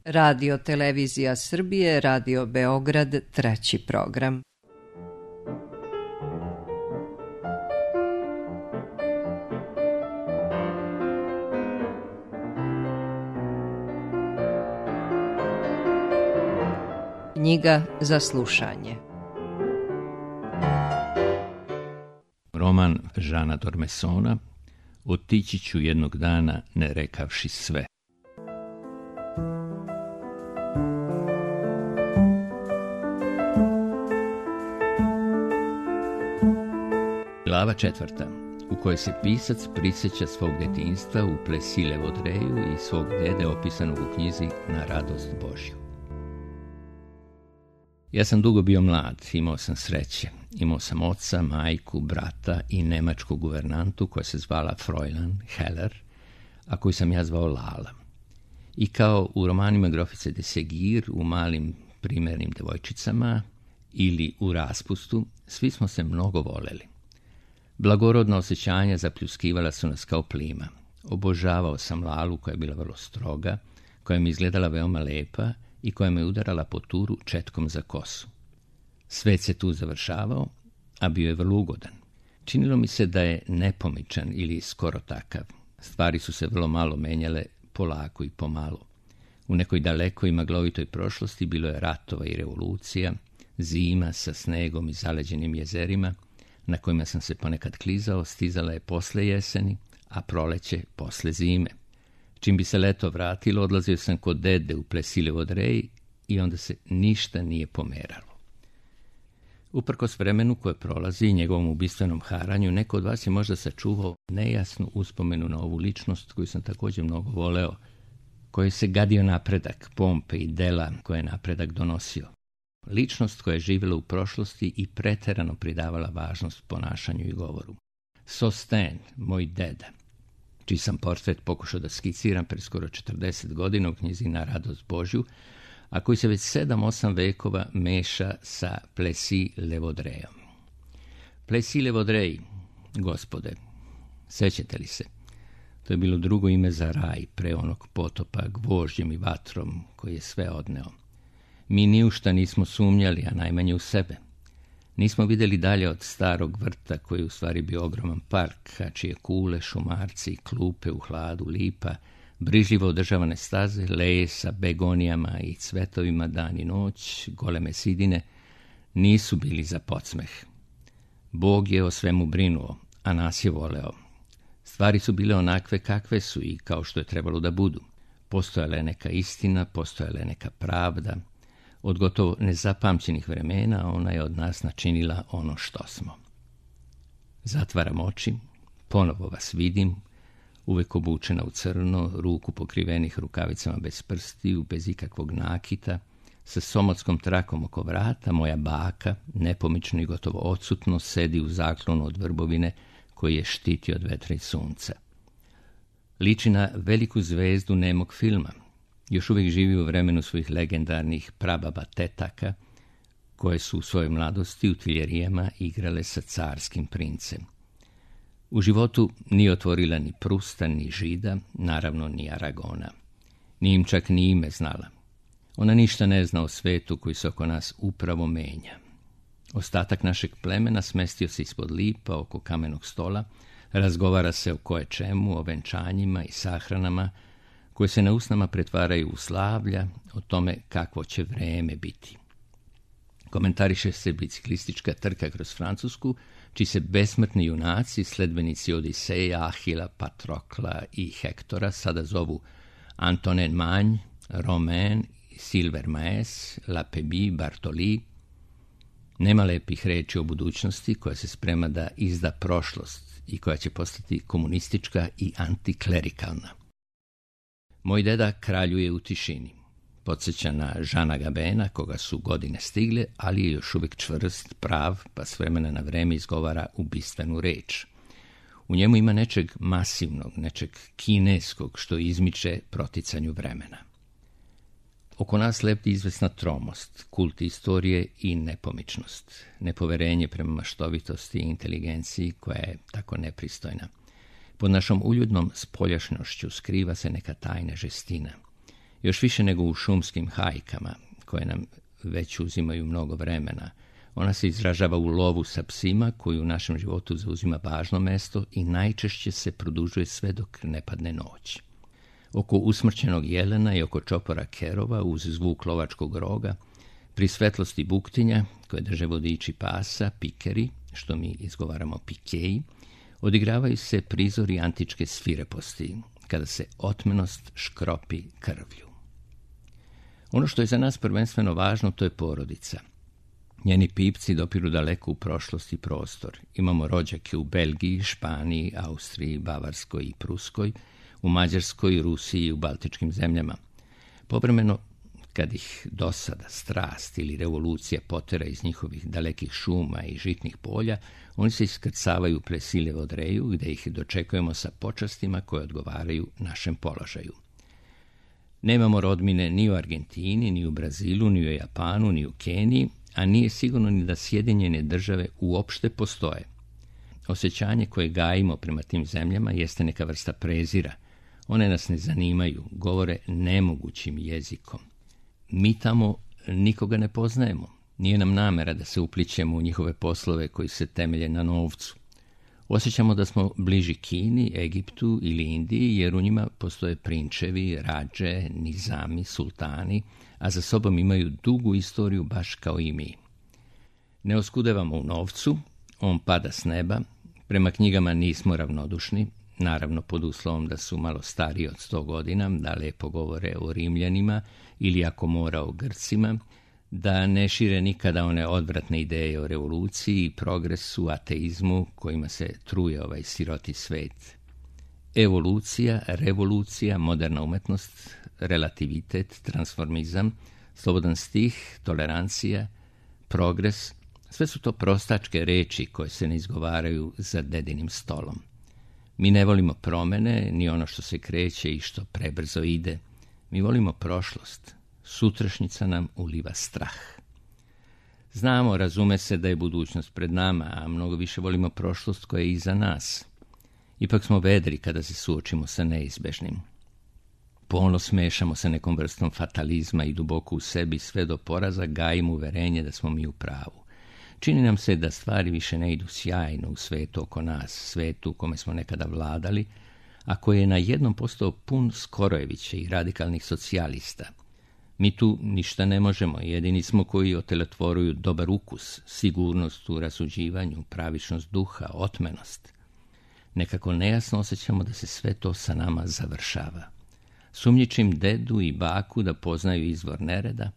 Radio Televizija Srbije, Radio Beograd, treći program. Knjiga za slušanje. Roman Žana Dormesona Otići ću jednog dana ne rekavši sve. Glava 4. u kojoj se pisac prisjeća svog detinjstva u Plessis Vaudreuil i svog dede opisanog u knjizi Na radost Božju. Ja sam dugo bio mlad, imao sam sreće. Imao sam oca, majku, brata i nemačku guvernantu koja se zvala Fräulein Heller, a koju sam ja zvao Lala. I kao u romanima Grofice de Segir, u Malim primjernim devojčicama ili u Raspustu, svi smo se mnogo voleli. Blagorodna osjećanja zapljuskivala su nas kao plima. Obožavao sam Lalu koja je bila vrlo stroga, koja mi izgledala veoma lepa i koja me udarala po turu četkom za kosu. Svet se tu završavao, a bio je vrlo ugodan. Činilo mi se da je nepomičan ili skoro takav. Stvari su se vrlo malo menjale, polako i pomalo. U nekoj dalekoj maglovitoj prošlosti bilo je ratova i revolucija, zima sa snegom i zaleđenim jezerima, na kojima sam se ponekad klizao, stizala je posle jeseni, a proleće posle zime. Čim bi se leto vratilo, odlazio sam kod dede u Plessis Vaudreuil i onda se ništa nije pomeralo. Uprkos vremenu koje prolazi i njegovom ubistvenom haranju, neko od vas je možda sačuvao nejasnu uspomenu na ovu ličnost koju sam također mnogo voleo, koji se gadio napredak, pompe i dela koje je napredak donosio. Ličnost koja je živjela u prošlosti i preterano pridavala važnost ponašanju i govoru. Sosten, moj deda, čiji sam portret pokušao da skiciram pre skoro 40 godina u knjizi Na radost Božju, a koji se već 7-8 vekova meša sa Plessis Vaudreuilom. Plessis Vaudreuil, gospode, sećate li se? To je bilo drugo ime za raj pre onog potopa gvožđem i vatrom koji je sve odneo. Mi ni u šta nismo sumnjali, a najmanje u sebe. Nismo vidjeli dalje od starog vrta koji je u stvari bio ogroman park, a čije kule, šumarci, klupe u hladu, lipa, brižljivo održavane staze, leje sa begonijama i cvetovima dan i noć, goleme sidine, nisu bili za podsmeh. Bog je o svemu brinuo, a nas je voleo. Stvari su bile onakve kakve su i kao što je trebalo da budu. Postojala je neka istina, postojala je neka pravda. Od gotovo nezapamćenih vremena ona je od nas načinila ono što smo. Zatvaram oči, ponovo vas vidim, uvek obučena u crno, ruku pokrivenih rukavicama bez prstiju, bez ikakvog nakita, sa somotskom trakom oko vrata, moja baka, nepomično i gotovo odsutno, sedi u zaklonu od vrbovine koji je štiti od vetra i sunca. Liči na veliku zvezdu nemog filma. Još uvijek živi u vremenu svojih legendarnih prababa tetaka, koje su u svojoj mladosti u Tiljerijama igrale sa carskim princem. U životu nije otvorila ni Prusta, ni Žida, naravno ni Aragona. Ni im čak ni ime znala. Ona ništa ne zna o svetu koji se oko nas upravo menja. Ostatak našeg plemena smestio se ispod lipa oko kamenog stola, razgovara se o koje čemu, o venčanjima i sahranama, koje se na usnama pretvaraju u slavlja, o tome kakvo će vreme biti. Komentariše se biciklistička trka kroz Francusku, čiji se besmrtni junaci, sledbenici Odiseja, Ahila, Patrokla i Hektora sada zovu Antonin Magne, Romain, Silver Maes, Lapébie, Bartoli. Nema lepih reči o budućnosti koja se sprema da izda prošlost i koja će postati komunistička i antiklerikalna. Moj deda kraljuje u tišini. Podsjeća na Žana Gabena, koga su godine stigle, ali je još uvijek čvrst, prav, pa s vremena na vreme izgovara ubistvenu reč. U njemu ima nečeg masivnog, nečeg kineskog, što izmiče proticanju vremena. Oko nas lebdi izvesna tromost, kult istorije i nepomičnost, nepoverenje prema maštovitosti i inteligenciji koja je tako nepristojna. Pod našom uljudnom spoljašnjošću skriva se neka tajna žestina. Još više nego u šumskim hajkama, koje nam već uzimaju mnogo vremena. Ona se izražava u lovu sa psima, koji u našem životu zauzima važno mesto i najčešće se produžuje sve dok ne padne noć. Oko usmrćenog jelena i oko čopora kerova, uz zvuk lovačkog roga, pri svetlosti buktinja, koje drže vodiči pasa, pikeri, što mi izgovaramo pikeji, odigravaju se prizori antičke svireposti, kada se otmenost škropi krvlju. Ono što je za nas prvenstveno važno, to je porodica. Njeni pipci dopiru daleko u prošlost i prostor. Imamo rođake u Belgiji, Španiji, Austriji, Bavarskoj i Pruskoj, u Mađarskoj, Rusiji i u baltičkim zemljama. Povremeno, kad ih dosada, strast ili revolucija potera iz njihovih dalekih šuma i žitnih polja, oni se iskrcavaju pre Silevo Dreju, gde ih dočekujemo sa počastima koje odgovaraju našem položaju. Nemamo rodbine ni u Argentini, ni u Brazilu, ni u Japanu, ni u Keniji, a nije sigurno ni da Sjedinjene Države uopšte postoje. Osjećanje koje gajimo prema tim zemljama jeste neka vrsta prezira. One nas ne zanimaju, govore nemogućim jezikom. Mi tamo nikoga ne poznajemo. Nije nam namera da se uplićemo u njihove poslove koji se temelje na novcu. Osjećamo da smo bliži Kini, Egiptu ili Indiji, jer u njima postoje prinčevi, rađe, nizami, sultani, a za sobom imaju dugu istoriju baš kao i mi. Ne oskudevamo u novcu, on pada s neba, prema knjigama nismo ravnodušni, naravno pod uslovom da su malo stariji od 100 godina, da lepo govore o Rimljanima ili ako mora o Grcima, da ne šire nikada one odvratne ideje o revoluciji, progresu, ateizmu kojima se truje ovaj siroti svet. Evolucija, revolucija, moderna umetnost, relativitet, transformizam, slobodan stih, tolerancija, progres, sve su to prostačke reči koje se ne izgovaraju za dedinim stolom. Mi ne volimo promene, ni ono što se kreće i što prebrzo ide. Mi volimo prošlost. Sutrašnjica nam uliva strah. Znamo, razume se da je budućnost pred nama, a mnogo više volimo prošlost koja je iza nas. Ipak smo vedri kada se suočimo sa neizbežnim. Polno smešamo sa nekom vrstom fatalizma i duboko u sebi sve do poraza gajimo uverenje da smo mi u pravu. Čini nam se da stvari više ne idu sjajno u svetu oko nas, svetu u kome smo nekada vladali, a koji je na jednom postao pun Skorojevića i radikalnih socijalista. Mi tu ništa ne možemo, jedini smo koji otelotvoruju dobar ukus, sigurnost u rasuđivanju, pravičnost duha, otmenost. Nekako nejasno osjećamo da se sve to sa nama završava. Sumnjičim dedu i baku da poznaju izvor nereda,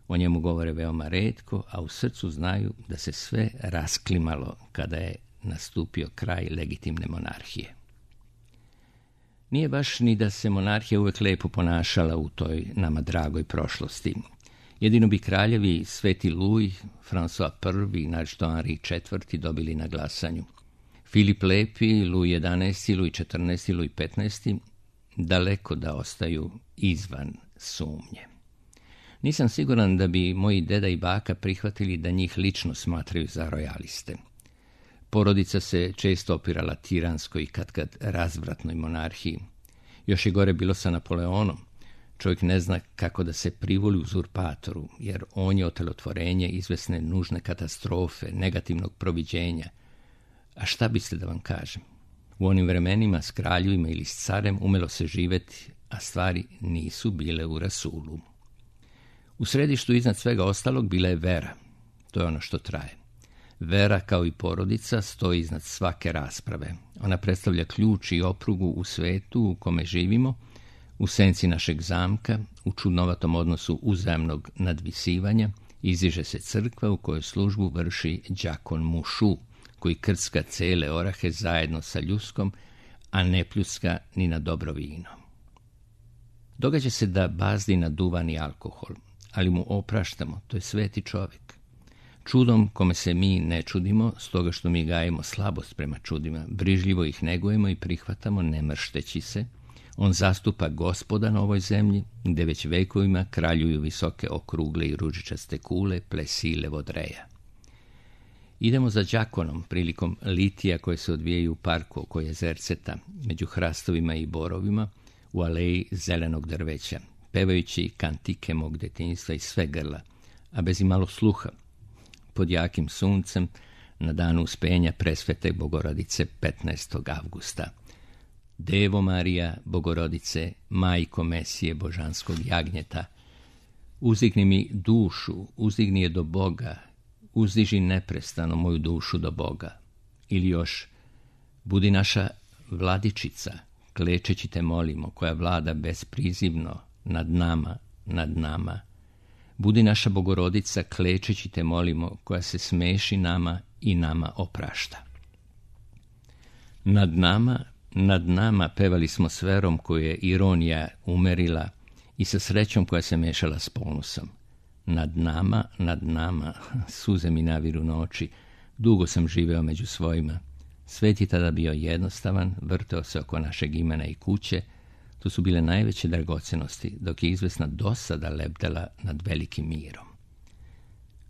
o njemu govore veoma retko, a u srcu znaju da se sve rasklimalo kada je nastupio kraj legitimne monarhije. Nije baš ni da se monarhija uvek lepo ponašala u toj nama dragoj prošlosti. Jedino bi kraljevi Sveti Luj, François I i naročito Henri IV dobili na glasanju. Filip Lepi, Luj XI, Luj XIV, Luj XV daleko da ostaju izvan sumnje. Nisam siguran da bi moji deda i baka prihvatili da njih lično smatraju za rojaliste. Porodica se često opirala tiranskoj i katkad razvratnoj monarhiji. Još je gore bilo sa Napoleonom. Čovjek ne zna kako da se privoli uzurpatoru, jer on je otelotvorenje izvesne nužne katastrofe, negativnog proviđenja. A šta biste da vam kažem? U onim vremenima s kraljevima ili s carem umelo se živeti, a stvari nisu bile u rasulu. U središtu iznad svega ostalog bila je vera. To je ono što traje. Vera, kao i porodica, stoji iznad svake rasprave. Ona predstavlja ključ i oprugu u svetu u kome živimo, u senci našeg zamka, u čudnovatom odnosu uzajamnog nadvisivanja, iziže se crkva u kojoj službu vrši đakon Mušu, koji krcka cele orahe zajedno sa ljuskom, a ne pljuska ni na dobro vino. Događa se da bazdi na duvan i alkohol, ali mu opraštamo, to je sveti čovjek. Čudom kome se mi ne čudimo, stoga što mi gajimo slabost prema čudima, brižljivo ih negujemo i prihvatamo ne mršteći se, on zastupa Gospoda na ovoj zemlji, gde već vekovima kraljuju visoke okrugle i ružičaste kule plesile vodreja. Idemo za đakonom prilikom litija koje se odvijaju u parku oko jezerceta, među hrastovima i borovima, u aleji zelenog drveća. pevajući kantike mog detinjstva iz sve grla, a bez imalo sluha, pod jakim suncem, na danu uspenja presvete Bogorodice 15. avgusta. Devo Marija, Bogorodice, majko Mesije božanskog jagnjeta, uzdigni mi dušu, uzdigni je do Boga, uzdiži neprestano moju dušu do Boga. Ili još, budi naša vladičica, klečeći te molimo, koja vlada besprizivno nad nama. Budi naša Bogorodica, klečeći te molimo, koja se smeši nama i nama oprašta. Nad nama pevali smo s verom koju je ironija umerila i sa srećom koja se mešala s ponosom. Nad nama, suze mi naviru noći, dugo sam živeo među svojima. Svet je tada bio jednostavan, vrteo se oko našeg imena i kuće, to su bile najveće dragocenosti, dok je izvesna dosada lebdela nad velikim mirom.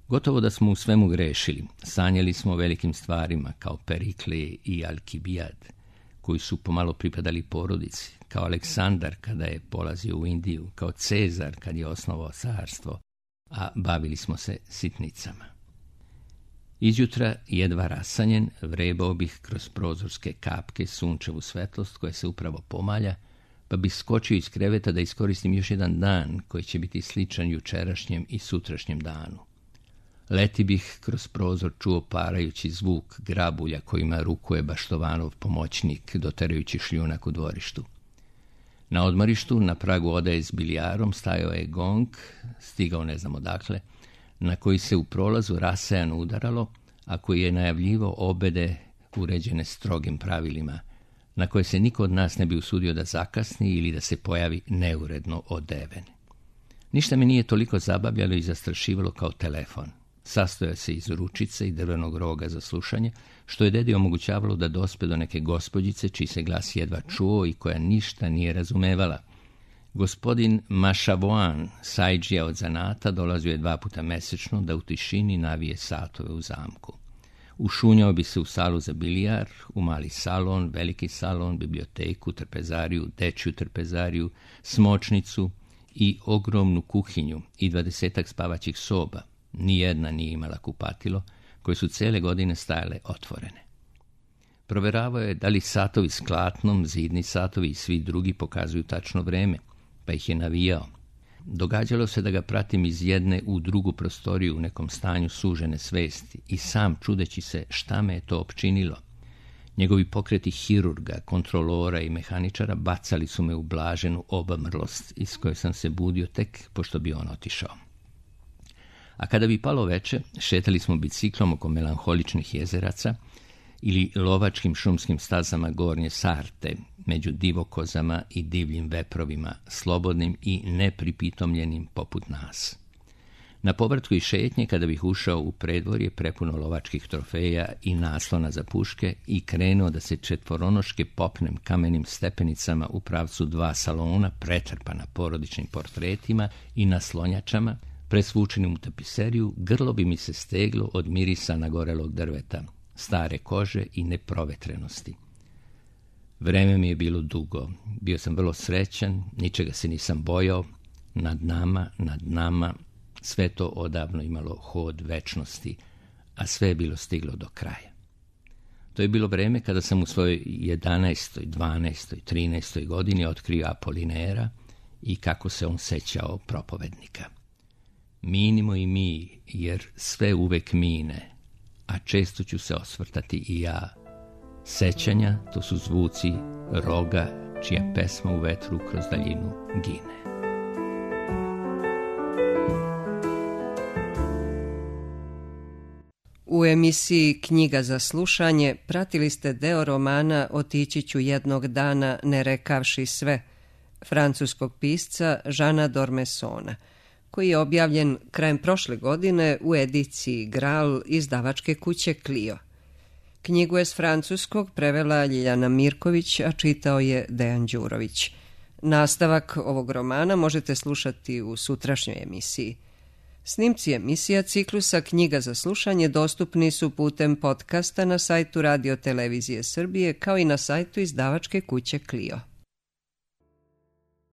Gotovo da smo u svemu grešili, sanjali smo o velikim stvarima, kao Periklije i Alkibijad, koji su pomalo pripadali porodici, kao Aleksandar kada je polazio u Indiju, kao Cezar kad je osnovao carstvo, a bavili smo se sitnicama. Izjutra, jedva rasanjen, vrebao bih kroz prozorske kapke sunčevu svetlost koja se upravo pomalja, pa bih skočio iz kreveta da iskoristim još jedan dan koji će biti sličan jučerašnjem i sutrašnjem danu. Leti bih kroz prozor čuo parajući zvuk grabulja kojima rukuje Baštovanov pomoćnik doterajući šljunak u dvorištu. Na odmorištu, na pragu odaje s bilijarom, stajao je gong, stigao ne znam odakle, na koji se u prolazu rasejano udaralo, a koji je najavljivo obede uređene strogim pravilima, na koje se niko od nas ne bi usudio da zakasni ili da se pojavi neuredno odeven. Ništa me nije toliko zabavljalo i zastrašivalo kao telefon. Sastojao se iz ručice i drvenog roga za slušanje, što je dedi omogućavalo da dospe do neke gospođice čiji se glas jedva čuo i koja ništa nije razumevala. Gospodin Mašavoan, sajđija od zanata, dolazio je 2 puta mesečno da u tišini navije satove u zamku. Ušunjao bi se u salu za bilijar, u mali salon, veliki salon, biblioteku, trpezariju, dečju trpezariju, smočnicu i ogromnu kuhinju i 20 spavaćih soba. Nijedna nije imala kupatilo, koje su cele godine stajale otvorene. Proveravao je da li satovi s klatnom, zidni satovi i svi drugi pokazuju tačno vreme, pa ih je navijao. Događalo se da ga pratim iz jedne u drugu prostoriju u nekom stanju sužene svesti i sam čudeći se šta me je to opčinilo. Njegovi pokreti hirurga, kontrolora i mehaničara bacali su me u blaženu obamrlost iz koje sam se budio tek pošto bi on otišao. A kada bi palo veče, šetali smo biciklom oko melanholičnih jezeraca ili lovačkim šumskim stazama Gornje Sarte, među divokozama i divljim veprovima, slobodnim i nepripitomljenim poput nas. Na povratku i šetnje, kada bih ušao u predvorje prepuno lovačkih trofeja i naslona za puške i krenuo da se četvoronoške popnem kamenim stepenicama u pravcu 2 salona pretrpana porodičnim portretima i naslonjačama, presvučenim u tapiseriju, grlo bi mi se steglo od mirisa nagorelog drveta, stare kože i neprovetrenosti. Vreme mi je bilo dugo, bio sam vrlo srećan, ničega se nisam bojao, nad nama, sve to odavno imalo hod večnosti, a sve je bilo stiglo do kraja. To je bilo vreme kada sam u svojoj 11., 12., 13. godini otkrio Apolinera i kako se on sećao propovednika. Minimo i mi, jer sve uvek mine, a često ću se osvrtati i ja. Sećanja, to su zvuci roga, čija pesma u vetru kroz daljinu gine. U emisiji Knjiga za slušanje pratili ste deo romana Otići ću jednog dana ne rekavši sve, francuskog pisca Žana Dormesona, koji je objavljen krajem prošle godine u ediciji Gral izdavačke kuće Clio. Knjigu je s francuskog prevela Ljiljana Mirković, a čitao je Dejan Đurović. Nastavak ovog romana možete slušati u sutrašnjoj emisiji. Snimci emisija ciklusa Knjiga za slušanje dostupni su putem podcasta na sajtu Radio Televizije Srbije kao i na sajtu izdavačke kuće Clio.